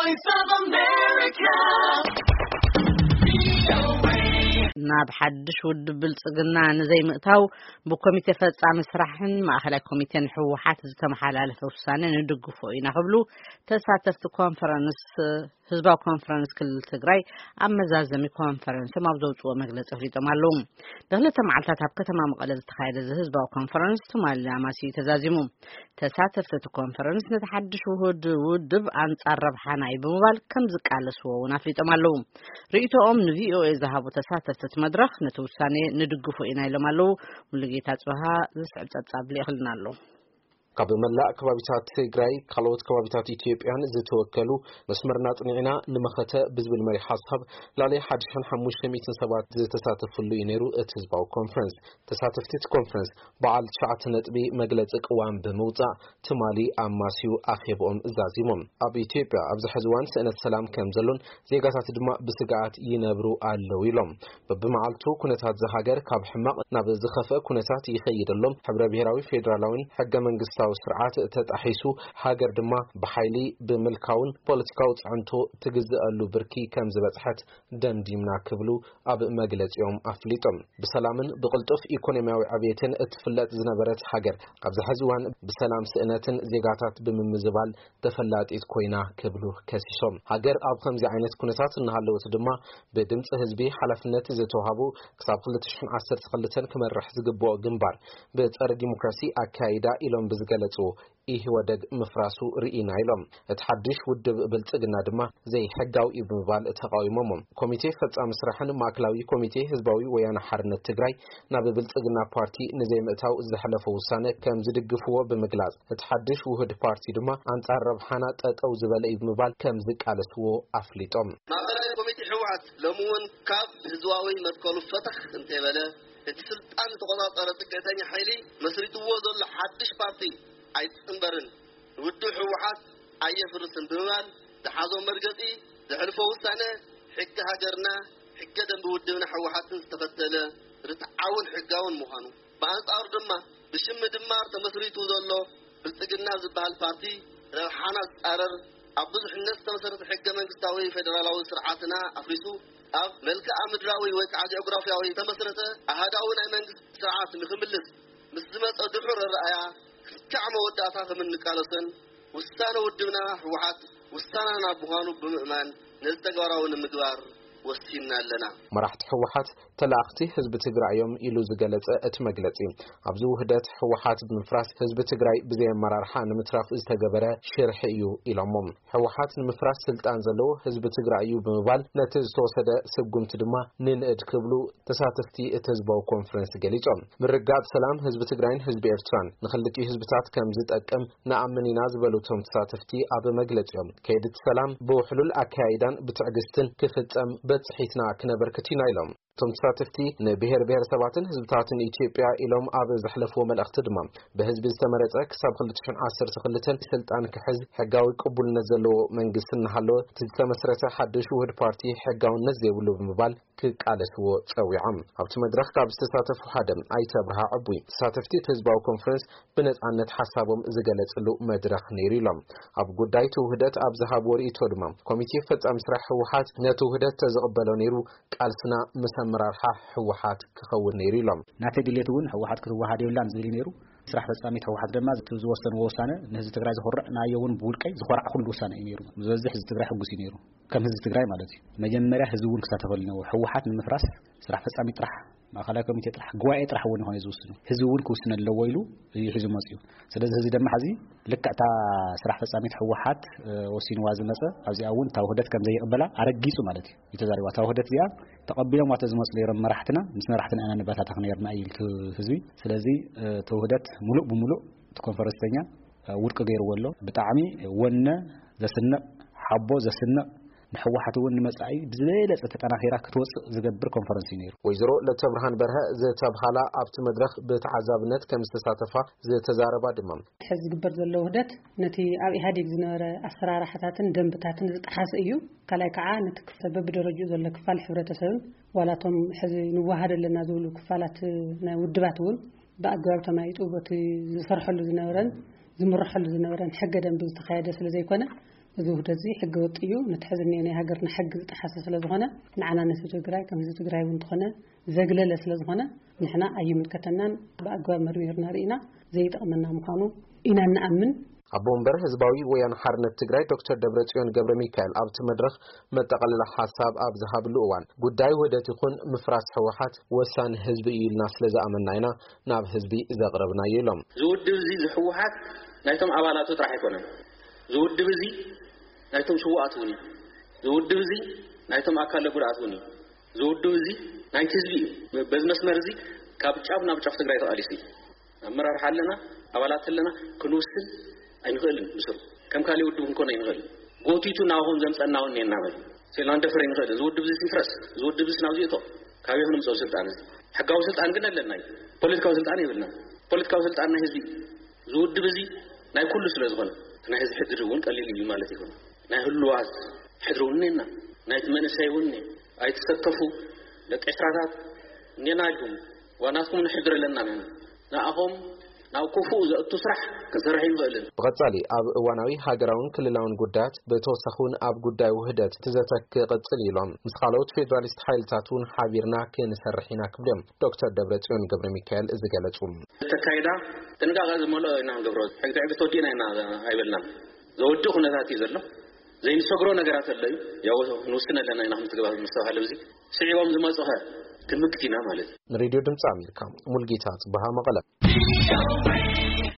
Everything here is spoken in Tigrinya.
Voice of America. ናብ ሓድሽ ውድብ ብልጽግና ንዘይምእታው ብኮሚቴ ፈጻሚ ስራሕን ማእኸላይ ኮሚቴን ህወሓት ዝተመሓላለፈ ውሳነ ንድግፎ ኢና ክብሉ ተሳተፍቲ ኮንፈረንስ፣ ህዝባዊ ኮንፈረንስ ክልል ትግራይ ኣብ መዛዘሚ ኮንፈረንሶም ኣብ ዘውፅዎ መግለፂ ኣፍሊጦም ኣለዉ። ንክልተ መዓልታት ኣብ ከተማ መቐለ ዝተኻየደ እዚ ህዝባዊ ኮንፈረንስ ትማሊ ኣማስዩ ተዛዚሙ። ተሳተፍቲ እቲ ኮንፈረንስ ነቲ ሓድሽ ውሁድ ውድብ ኣንጻር ረብሓና እዩ ብምባል ከም ዝቃለስዎ እውን ኣፍሊጦም ኣለዉ። ርእይቶኦም ንቪኦኤ ዝሃቡ ተሳተፍቲ እቲ መድረኽ ነቲ ውሳኔ ንድግፎ ኢና ኢሎም ኣለዉ። ሙሉጌታ ጽበሃ ዝስዕብ ጸብጻብ ልኢኽልና ኣሎ። ካብ መላእ ከባቢታት ትግራይ፣ ካልኦት ከባቢታት ኢትዮጵያን ዝተወከሉ መስመርና ጽኒዕና ንመኸተ ብዝብል መሪ ሓሳብ ላዕሊ ሓድሽን ሓሙሽተ ሚእትን ሰባት ዝተሳተፍሉ እዩ ነይሩ እቲ ህዝባዊ ኮንፈረንስ። ተሳተፍቲ እቲ ኮንፈረንስ በዓል ትሽዓተ ነጥቢ መግለጺ ቅዋም ብምውጻእ ትማሊ ኣማስዩ ኣኼብኦም ዛዚሞም። ኣብ ኢትዮጵያ ኣብዚ ሕዚ እዋን ስእነት ሰላም ከም ዘሎን ዜጋታት ድማ ብስግኣት ይነብሩ ኣለዉ ኢሎም። በብመዓልቱ ኩነታት እዛ ሃገር ካብ ሕማቕ ናብ ዝኸፍአ ኩነታት ይኸይድ ኣሎ። ሕብረ ብሔራዊ ፌዴራላዊን ሕገ መንግስታዊ ስርዓት ተጣሒሱ፣ ሃገር ድማ ብሓይሊ ብምልካውን ፖለቲካዊ ጽዕንቶ ትግዝአሉ ብርኪ ከም ዝበጽሐት ደምዲምና ክብሉ ኣብ መግለጺኦም ኣፍሊጦም። ብሰላምን ብቕልጡፍ ኢኮኖሚያዊ ዕብየትን እትፍለጥ ዝነበረት ሃገር ኣብዚ ሕዚ እዋን ብሰላም ስእነትን ዜጋታት ብምምዝባል ተፈላጢት ኮይና ክብሉ ከሲሶም። ሃገር ኣብ ከምዚ ዓይነት ኩነታት እናሃለወት ድማ ብድምፂ ህዝቢ ሓላፍነት ዝተዋሃቡ ክሳብ ክልተ ሽሕን ዓሰርተ ክልተን ክመርሕ ዝግብኦ ግንባር ብጸረ ዲሞክራሲ ኣካይዳ ኢሎም ብዝገለጽዎ ኢህወደግ ምፍራሱ ርኢና ኢሎም። እቲ ሓድሽ ውድብ ብልጽግና ድማ ዘይሕጋዊ እዩ ብምባል ተቃዊሞሞ። ኮሚቴ ፈጻሚ ስራሕን ማእከላዊ ኮሚቴ ህዝባዊ ወያነ ሓርነት ትግራይ ናብ ብልጽግና ፓርቲ ንዘይምእታው ዘሕለፎ ውሳነ ከም ዝድግፍዎ ብምግላጽ፣ እቲ ሓድሽ ውህድ ፓርቲ ድማ ኣንጻር ረብሓና ጠጠው ዝበለ እዩ ብምባል ከም ዝቃለስዎ ኣፍሊጦም። ማእከላይ ኮሚቴ ህወሓት ሎሚ እውን ካብ ህዝባዊ መትከሉ ፈተኽ እንተይበለ፣ እቲ ስልጣን ዝተቆጻጸረ ጽግዕተኛ ሓይሊ መስሪትዎ ዘሎ ሓድሽ ፓርቲ ኣይጽንበርን፣ ውድብ ህወሓት ኣየፍርስን ብምባል ዝሓዞ መርገጺ፣ ዘሕልፎ ውሳነ ሕጊ ሃገርና፣ ሕገ ደንቢ ውድብና ህወሓትን ዝተኸተለ ርትዓውን ሕጋውን ምዃኑ፣ ብኣንጻሩ ድማ ብሽም ምድማር ተመስሪቱ ዘሎ ብልጽግና ዝበሃል ፓርቲ ረብሓና ዝጻረር፣ ኣብ ብዙሕነት ዝተመሰረተ ሕገ መንግስታዊ ፌደራላዊ ስርዓትና ኣፍሪሱ ኣብ መልክዓ ምድራዊ ወይ ከዓ ጂኦግራፊያዊ ዝተመስረተ ኣሃዳዊ ናይ መንግስቲ ስርዓት ንክምልስ ምስ ዝመፀ ድሑር ኣረኣእያ ክስካዕ መወዳእታ ከም እንቃለሶን ውሳነ ውድብና ህወሓት ውሳነና ምዃኑ ብምእማን ነዚ ተግባራዊ ንምግባር ወሲንና ኣለና። መራሕቲ ህወሓት ተላእኽቲ ህዝቢ ትግራይ እዮም ኢሉ ዝገለጸ እቲ መግለጺ፣ ኣብዚ ውህደት ህወሓት ብምፍራስ ህዝቢ ትግራይ ብዘይ ኣመራርሓ ንምትራፍ ዝተገበረ ሽርሒ እዩ ኢሎሞ። ህወሓት ንምፍራስ ስልጣን ዘለዎ ህዝቢ ትግራይ እዩ ብምባል ነቲ ዝተወሰደ ስጉምቲ ድማ ንንእድ ክብሉ ተሳተፍቲ እቲ ህዝባዊ ኮንፈረንስ ገሊጾም። ምርግጋጽ ሰላም ህዝቢ ትግራይን ህዝቢ ኤርትራን ንክልቲኡ ህዝብታት ከም ዝጠቅም ንኣምን ኢና ዝበሉ እቶም ተሳተፍቲ ኣብ መግለጺኦም፣ ከይዲ እቲ ሰላም ብውሕሉል ኣካያይዳን ብትዕግስትን ክፍጸም በጽሒትና ክነበርክት ኢና ኢሎም። እቶም ተሳተፍቲ ንብሔር ብሔረሰባትን ህዝብታትን ኢትዮጵያ ኢሎም ኣብ ዘሕለፍዎ መልእኽቲ ድማ፣ ብህዝቢ ዝተመረጸ ክሳብ ክልተ ሽሕን ዓሰርተ ክልተን ስልጣን ክሕዝ ሕጋዊ ቅቡልነት ዘለዎ መንግስቲ እናሃለወ፣ እቲ ዝተመስረተ ሓድሽ ውህድ ፓርቲ ሕጋውነት ዘይብሉ ብምባል ክቃለስዎ ጸዊዖም። ኣብቲ መድረኽ ካብ ዝተሳተፉ ሓደ ኣይተ ኣብርሃ ዕቡይ፣ ተሳተፍቲ እቲ ህዝባዊ ኮንፈረንስ ብነጻነት ሓሳቦም ዝገለጽሉ መድረኽ ነይሩ ኢሎም። ኣብ ጉዳይ እቲ ውህደት ኣብ ዝሃብዎ ርእይቶ ድማ፣ ኮሚቴ ፈጻሚ ስራሕ ህወሓት ነቲ ውህደት ተዝቕበሎ ነይሩ፣ ቃልስና ምስ ኣመራርሓ ህወሓት ክኸውን ነይሩ ኢሎም። ናተይ ድሌት እውን ህወሓት ክትወሃድ የብላን ዝብል እዩ ነይሩ። ስራሕ ፈጻሚት ህወሓት ድማ እቲ ዝወሰንዎ ውሳነ ንህዝቢ ትግራይ ዘኹርዕ፣ ንኣየ እውን ብውልቀይ ዝኾራዕኩሉ ውሳነ እዩ ነይሩ። ዝበዝሕ ህዝቢ ትግራይ ሕጉስ እዩ ነይሩ፣ ከም ህዝቢ ትግራይ ማለት እዩ። መጀመርያ ህዝቢ እውን ክሳተፈሉ ነይሩ። ህወሓት ንምፍራስ ስራሕ ፈጻሚ ጥራሕ፣ ማእኸላይ ኮሚቴ ጥራሕ፣ ጉባኤ ጥራሕ እውን ይኾነ ዝውስኑ፣ ህዝቢ እውን ክውስን ኣለዎ ኢሉ እዩ ሒዙ መፅዩ። ስለዚ ህዝቢ ድማ ሕዚ ልክዕ እታ ስራሕ ፈጻሚት ህወሓት፣ እ፣ ወሲንዋ ዝመፀ፣ ኣብዚኣ እውን እታ ውህደት ከም ዘይቕበላ ኣረጊጹ ማለት እዩ፣ እዩ ተዛሪባ። እታ ውህደት እዚኣ ተቐቢሎምዋ ተዝመፁ ነይሮም መራሕትና፣ ምስ መራሕትና ኢና ንበታተኽ ነይርና እዩ ኢሉ ህዝቢ። ስለዚ፣ እ፣ እቲ ውህደት ሙሉእ ብሙሉእ እቲ ኮንፈረንስተኛ፣ እ፣ ውድቂ ገይርዎ ኣሎ። ብጣዕሚ ወነ ዘስንቕ፣ ሓቦ ዘስንቕ፣ ንህወሓት እውን ንመጻኢ ብዝበለጸ ተጠናኺራ ክትወጽእ ዝገብር ኮንፈረንስ እዩ ነይሩ። ወይዘሮ ለተብርሃን በርሀ ዝተብሃላ ኣብቲ መድረኽ ብተዓዛብነት ከም ዝተሳተፋ ዝተዛረባ ድማ፣ ሕዚ ዝግበር ዘሎ ውህደት ነቲ ኣብ ኢህኣዴግ ዝነበረ ኣሰራርሓታትን ደንብታትን ዝጠሓሰ እዩ። ካልኣይ ከዓ ነቲ ክፍለ በብደረጅኡ ዘሎ ክፋል ሕብረተሰብን ዋላ እቶም ሕዚ ንወሃድ ኣለና ዝብሉ ክፋላት ናይ ውድባት እውን ብኣገባብ ተማይጡ በቲ ዝሰርሐሉ ዝነበረን ዝምርሐሉ ዝነበረን ሕገ ደንቢ ዝተኻየደ ስለ ዘይኮነ፣ እዚ ውህደት እዚ ሕገ ወጥ እዩ፣ ነቲ ሕዚ እኒኦ ናይ ሃገርና ሕጊ ዝጠሓሰ ስለ ዝኾነ፣ ንዓና ንህዝቢ ትግራይ ከም ህዝቢ ትግራይ እውን እንተኾነ ዘግለለ ስለ ዝኾነ፣ ንሕና ኣይምልከተናን፣ ብኣግባብ መርሚርና ርኢና ዘይጠቕመና ምዃኑ ኢና እንኣምን። ኣቦ ወንበር ህዝባዊ ወያነ ሓርነት ትግራይ ዶክተር ደብረጽዮን ገብረ ሚካኤል ኣብቲ መድረኽ መጠቓለሊ ሓሳብ ኣብ ዝሃብሉ እዋን፣ ጉዳይ ውህደት ይኹን ምፍራስ ህወሓት ወሳኒ ህዝቢ እዩ ኢልና ስለ ዝኣመንና ኢና ናብ ህዝቢ ዘቕረብናዮ ኢሎም። ዝውድብ እዚ ዝህወሓት ናይቶም ኣባላቱ ጥራሕ ኣይኮነን። ዝውድብ እዚ ናይቶም ስውኣት እውን እዩ። ዝውድብ እዚ ናይቶም ኣካለ ጉድኣት እውን እዩ። ዝውድብ እዚ ናይቲ ህዝቢ እዩ። በዚ መስመር እዚ ካብ ጫፍ ናብ ጫፍ ትግራይ ተቓሊሱ እዩ። ኣመራርሓ ኣለና፣ ኣባላት ኣለና፣ ክንውስን ኣይንኽእልን። ምስሩ ከም ካልእ ውድብ ክንኮን ኣይንኽእልን። ጎቲቱ ናባኹም ዘምፀና እውን እኒአና በሉ። ሴልና ንደፍር ኣይንኽእልን። ዝውድብ እዚ ይፍረስ፣ ዝውድብ እዚ ናብዚ እቶ፣ ካበይ ክንምፅኦ ስልጣን እዚ? ሕጋዊ ስልጣን ግን ኣለና እዩ። ፖለቲካዊ ስልጣን የብልና። ፖለቲካዊ ስልጣን ናይ ህዝቢ እዩ። ዝውድብ እዚ ናይ ኩሉ ስለ ዝኾነ፣ እቲ ናይ ህዝቢ ሕድሪ እውን ቀሊል እዩ ማለት ይኹን። ናይ ህሉዋት ሕድሪ እውን እኒአና፣ ናይቲ መንእሰይ እውን እኒአ። ኣይትሰከፉ፣ ደቂ ዕስራታት እኒአና ኢልኩም፣ ዋናትኩም ንሕድር ኣለና ንሕና። ንኣኹም ናብ ክፉእ ዘእቱ ስራሕ ክንሰርሕ ኣይንኽእልን። ብቐጻሊ ኣብ እዋናዊ ሃገራውን ክልላውን ጉዳያት፣ ብተወሳኺ እውን ኣብ ጉዳይ ውህደት እቲ ዘተ ክቕጽል ኢሎም፣ ምስ ካልኦት ፌደራሊስት ሓይልታት እውን ሓቢርና ክንሰርሕ ኢና ክብሉ እዮም ዶክተር ደብረጽዮን ገብረ ሚካኤል ዝገለጹ። ተካይዳ ጥንቃቐ ዝመልኦ ኢና ንገብሮ። ሕግቲ ዕግቲ ወዲእና ኢና ኣይበልናን። ዘወድእ ኩነታት እዩ ዘሎ። ዘይንሰግሮ ነገራት ኣሎ እዩ። ያው ንውስን ኣለና ኢና፣ ከምቲ ገባር ምስተባሃለ፣ እዚ ስዒቦም ዝመጹኸ ክንምክት ኢና ማለት እዩ። ንሬድዮ ድምፂ ኣሜሪካ፣ ሙልጌታ ጽበሃ፣ መቐለ።